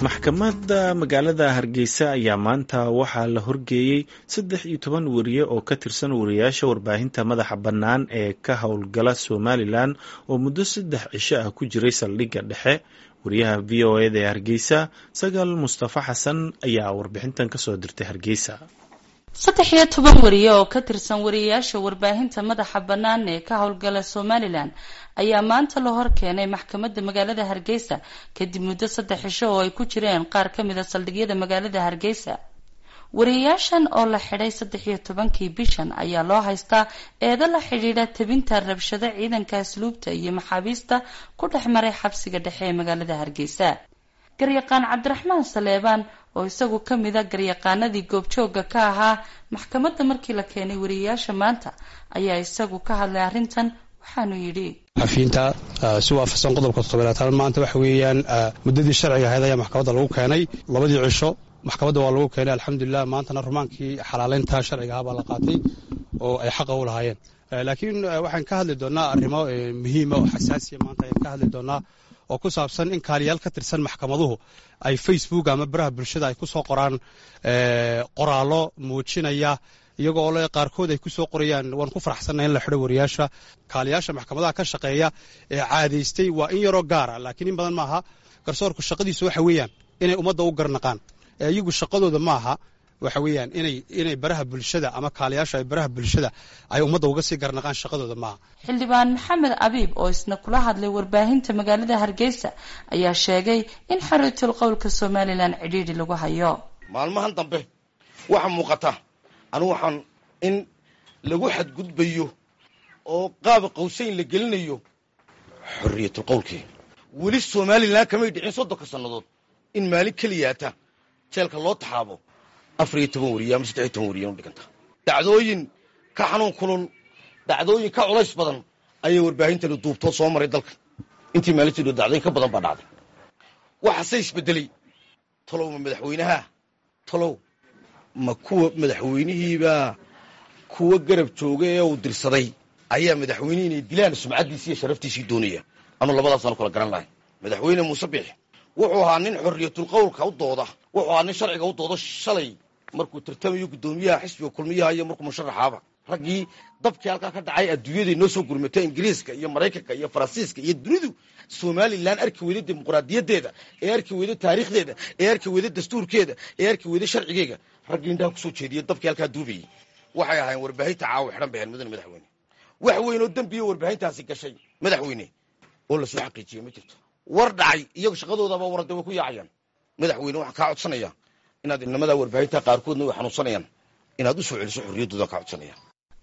Maxkamadda magaalada Hargeysa ayaa maanta waxaa la horgeeyey 13 wariye oo ka tirsan wariyaasha warbaahinta madaxa bannaan ee ka howlgala Somalilan oo muddo 3 cisho ah ku jiray saldhigga dhexe. Wariyaha VOA-da ee Hargeysa, Sagal Mustafa Xasan, ayaa warbixintan kasoo dirtay Hargeysa. 13 wariye oo ka tirsan wariyayaasha warbaahinta madaxa bannaan ee ka howlgala Somalilan ayaa maanta la hor keenay maxkamadda magaalada Hargeysa, kadib muddo 3 cisho oo ay ku jireen qaar ka mid a saldhigyada magaalada Hargeysa. Wariyayaashan oo la xidhay 13-kii bishan ayaa loo haystaa eedo la xidhiidha tebinta rabshado ciidanka asluubta iyo maxaabiista ku dhex maray xabsiga dhexe ee magaalada Hargeysa. Garyaqaan Cabdiraxmaan Saleebaan, oo isagu ka mid a garyaqaanadii goobjoogga ka ahaa maxkamadda markii la keenay wariyayaasha maanta, ayaa isagu ka hadlay arrintan, waxaanu yidhi: Xafiinta si waafaqsan qodobka 7aad, maanta waxa weeyaan muddadii sharciga ahayd ayaa maxkamadda lagu keenay. Labadii cisho maxkamadda waa lagu keenay, alxamdulilah. Maantana rumaankii xalaaleynta sharciga ahaa baa la qaatay oo ay xaqa u lahaayeen. Laakiin waxaan ka hadli doonnaa arrimo muhiima oo xasaasiya maanta ayaan ka hadli doonnaa, oo ku saabsan in kaaliyaal ka tirsan maxkamaduhu ay Facebook ama baraha bulshada ay ku soo qoraan qoraallo muujinaya, iyagoo le qaarkood ay ku soo qorayaan "Waan ku faraxsannahay in la xidho wariyaasha." Kaaliyaasha maxkamadaha ka shaqeeya ee caadaystay waa in yaroo gaara, laakiin in badan maaha. Garsoorku shaqadiisu waxa weeyaan inay ummadda u garnaqaan, iyagu shaqadooda maaha waxa weeyaan inay baraha bulshada ama kaaliyaasha ay baraha bulshada ay ummadda uga sii garnaqaan, shaqadooda maaha. Xildhibaan Maxamed Abiib, oo isna kula hadlay warbaahinta magaalada Hargeysa, ayaa sheegay in xorriyatul qowlka Somalilan cidhiidhi lagu hayo. Maalmahan dambe waxaa muuqata anigu waxaan in lagu xadgudbayo oo qaaba qawsayn la gelinayo xorriyatul qowlkii. Weli Somalilan kamay dhicin 30-ka sannadood in maalin keliyaata jeelka loo taxaabo 14 wariye ama 13 wariye u dhiganta. Dhacdooyin ka xanuun kulul, dhacdooyin ka culays badan ayay warbaahintani duubtoo soo maray dalka. Intii maalintii dho dhacdooyin ka badan baa dhacday. Waxaase isbedelay, talow ma madaxweynaha, talow ma kuwa madaxweynihiibaa kuwa garab jooga ee uu dirsaday ayaa madaxweynihii inay dilaan sumcaddiisii iyo sharaftiisii doonaya? Anu labadaasaan kala garan lahay. Madaxweyne Muuse Biix wuxuu ahaa nin xorriyatul qowlka u dooda, wuxuu ahaa nin sharciga u doodo. Shalay markuu tartamayo guddoomiyaha xisbiga Kulmiyaha iyo markuu musharaxaaba, raggii dabkii halkaa ka dhacay adduunyaday noo soo gurmatay, Ingiriiska iyo Maraykanka iyo Faransiiska iyo dunidu Somalilan arki weyday dimuqraadiyaddeeda, ee arki weyday taariikhdeeda, ee arki weyday dastuurkeeda, ee arki weyday sharcigeega, raggii indhaha kusoo jeediyey dabkii halkaa duubayey waxay ahayn warbaahinta caawa xidhan bay ahayn. Mudane madaxweyne, wax weyn oo dembiya warbaahintaasi gashay, madaxweyne, oo lasoo xaqiijiyey ma jirto. War dhacay iyagu shaqadoodaba warade way ku yaacayaan. Madaxweyne, waxaan kaa codsanaya inaad inamadaa warbaahinta, qaarkoodna way xanuunsanayaan, inaad u soo celiso xorriyaddooda kaa codsanaya.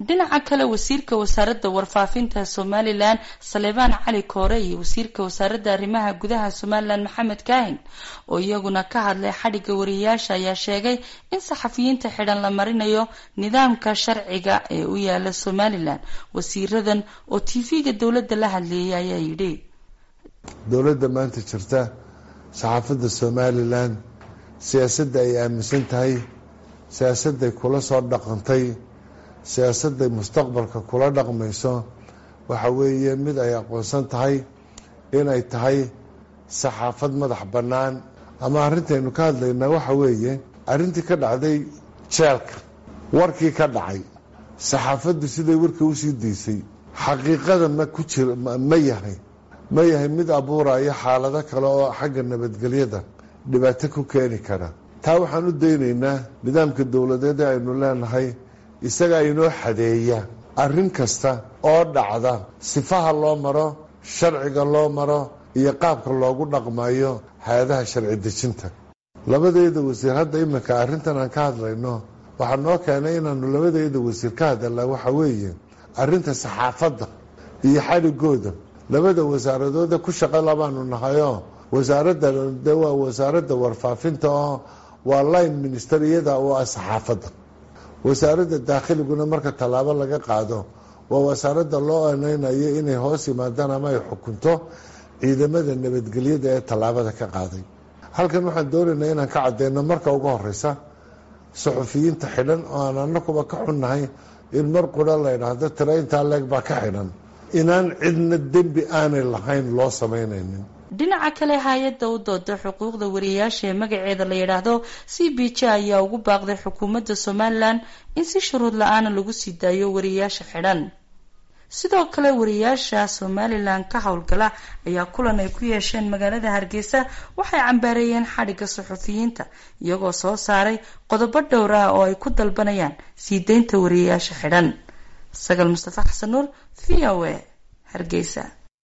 Dhinaca kale, wasiirka wasaaradda warfaafinta Somalilan, Saleebaan Cali Koore, iyo wasiirka wasaaradda arrimaha gudaha Somalilan, Maxamed Kaahin, oo iyaguna ka hadlay xadhigga wariyayaasha, ayaa sheegay in saxafiyiinta xidhan la marinayo nidaamka sharciga ee u yaala Somalilan. Wasiiradan oo TV-ga dowladda la hadleeyay ayaa yidhi: Dowladda maanta jirta, saxaafadda Somalilan siyaasadda ay aaminsan tahay, siyaasadday kula soo dhaqantay, siyaasadday mustaqbalka kula dhaqmayso, waxa weeye mid ay aqoonsan tahay inay tahay saxaafad madax bannaan. Ama arrintaynu ka hadlaynaa waxa weeye arrintii ka dhacday jeelka, warkii ka dhacay, saxaafaddu siday warka usii daysay, xaqiiqada ma ku jir, ma yahay mid abuuraya xaalado kale oo xagga nabadgelyada dhibaato ku keeni kara. Taa waxaan u daynaynaa nidaamka dowladeed ee aynu leenahay, isagaa inoo xadeeya arrin kasta oo dhacda, sifaha loo maro, sharciga loo maro iyo qaabka loogu dhaqmayo hay-adaha sharci dejinta. Labadeeda wasiir hadda iminka arrintan aan ka hadlayno, waxaa noo keenay inaanu labadeeda wasiir ka hadalnaa waxa weeye arrinta saxaafadda iyo xadhigooda. Labada wasaaradooda ku shaqo labaanu nahayoo, wasaaradda de waa wasaaradda warfaafinta oo waa line minister iyada oo ah saxaafadda. Wasaaradda daakhiliguna marka tallaabo laga qaado waa wasaaradda loo aneynayo inay hoos yimaadaan ama ay xukunto ciidamada nabadgelyada ee tallaabada ka qaaday. Halkan waxaan doonaynaa inaan ka cadeyno marka ugu horeysa suxufiyiinta xidhan, oo aan anakuba ka xunnahay in mar qura la idhaahdo tiro intaa leeg baa ka xidhan, inaan cidna dembi aanay lahayn loo samaynaynin. Dhinaca kale, hay-adda u dooda xuquuqda wariyayaasha ee magaceeda la yidhaahdo CPJ ayaa ugu baaqday xukuumadda Somalilan in si shuruud la-aana lagu sii daayo wariyayaasha xidhan. Sidoo kale, wariyayaasha Somalilan ka howlgala ayaa kulan ay ku yeesheen magaalada Hargeysa waxay cambaareeyeen xadhigga suxufiyiinta, iyagoo soo saaray qodobo dhowr ah oo ay ku dalbanayaan sii deynta wariyayaasha xidhan. Sagal Mustafa Xasan Nuur, VOA, Hargeysa.